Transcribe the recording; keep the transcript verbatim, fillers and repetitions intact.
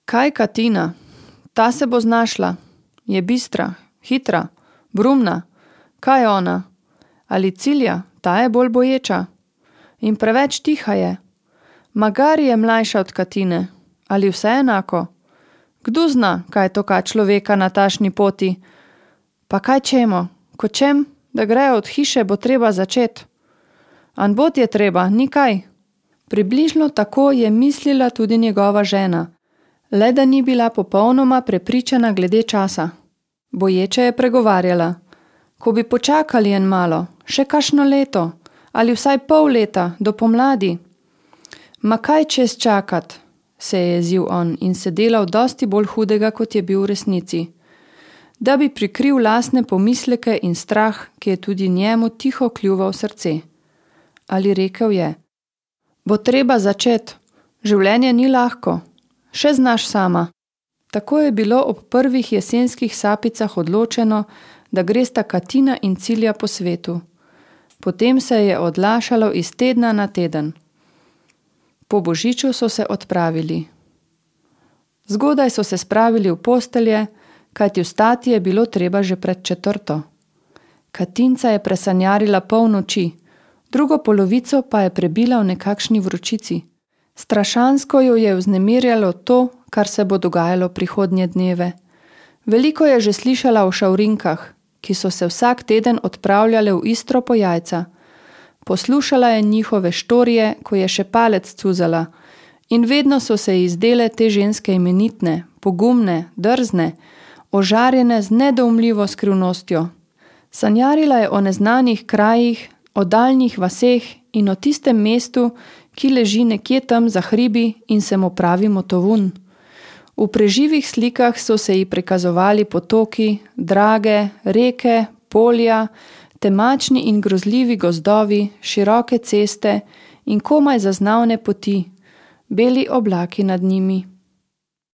Kaj Katina? Ta se bo znašla. Je bistra, hitra, brumna. Kaj je ona? Ali Cilja, ta je bolj boječa. In preveč tiha je. Magari je mlajša od Katine. Ali vse enako? Kdo zna, kaj je to ka človeka na tašni poti? Pa kaj čemo? Ko čem, da grejo od hiše, bo treba začet. An bot je treba, ni kaj. Približno tako je mislila tudi njegova žena, le da ni bila popolnoma prepričana glede časa. Boječe je pregovarjala. Ko bi počakali en malo, še kakšno leto, ali vsaj pol leta, do pomladi. Ma kaj čez čakat, se je jezil on in se delal dosti bolj hudega, kot je bil v resnici. Da bi prikril lastne pomisleke in strah, ki je tudi njemu tiho kljuval srce. Ali rekel je: Bo treba začet, življenje ni lahko, še znaš sama. Tako je bilo ob prvih jesenskih sapicah odločeno, da gresta Katina in Cilja po svetu. Potem se je odlašalo iz tedna na teden. Po božiču so se odpravili. Zgodaj so se spravili v postelje, kajti vstati je bilo treba že pred četrto. Katinca je presanjarila pol noči, drugo polovico pa je prebila v nekakšni vročici. Strašansko jo je vznemirjalo to, kar se bo dogajalo prihodnje dneve. Veliko je že slišala o šavrinkah, ki so se vsak teden odpravljale v Istro po jajca. Poslušala je njihove štorije, ko je še palec cuzala, in vedno so se ji zdele te ženske imenitne, pogumne, drzne, ožarjene z nedoumljivo skrivnostjo. Sanjarila je o neznanih krajih, o daljnih vaseh in o tistem mestu, ki leži nekje tam za hribi in se mu pravi Motovun. V preživih slikah so se ji prikazovali potoki, drage, reke, polja, temačni in grozljivi gozdovi, široke ceste in komaj zaznavne poti, beli oblaki nad njimi.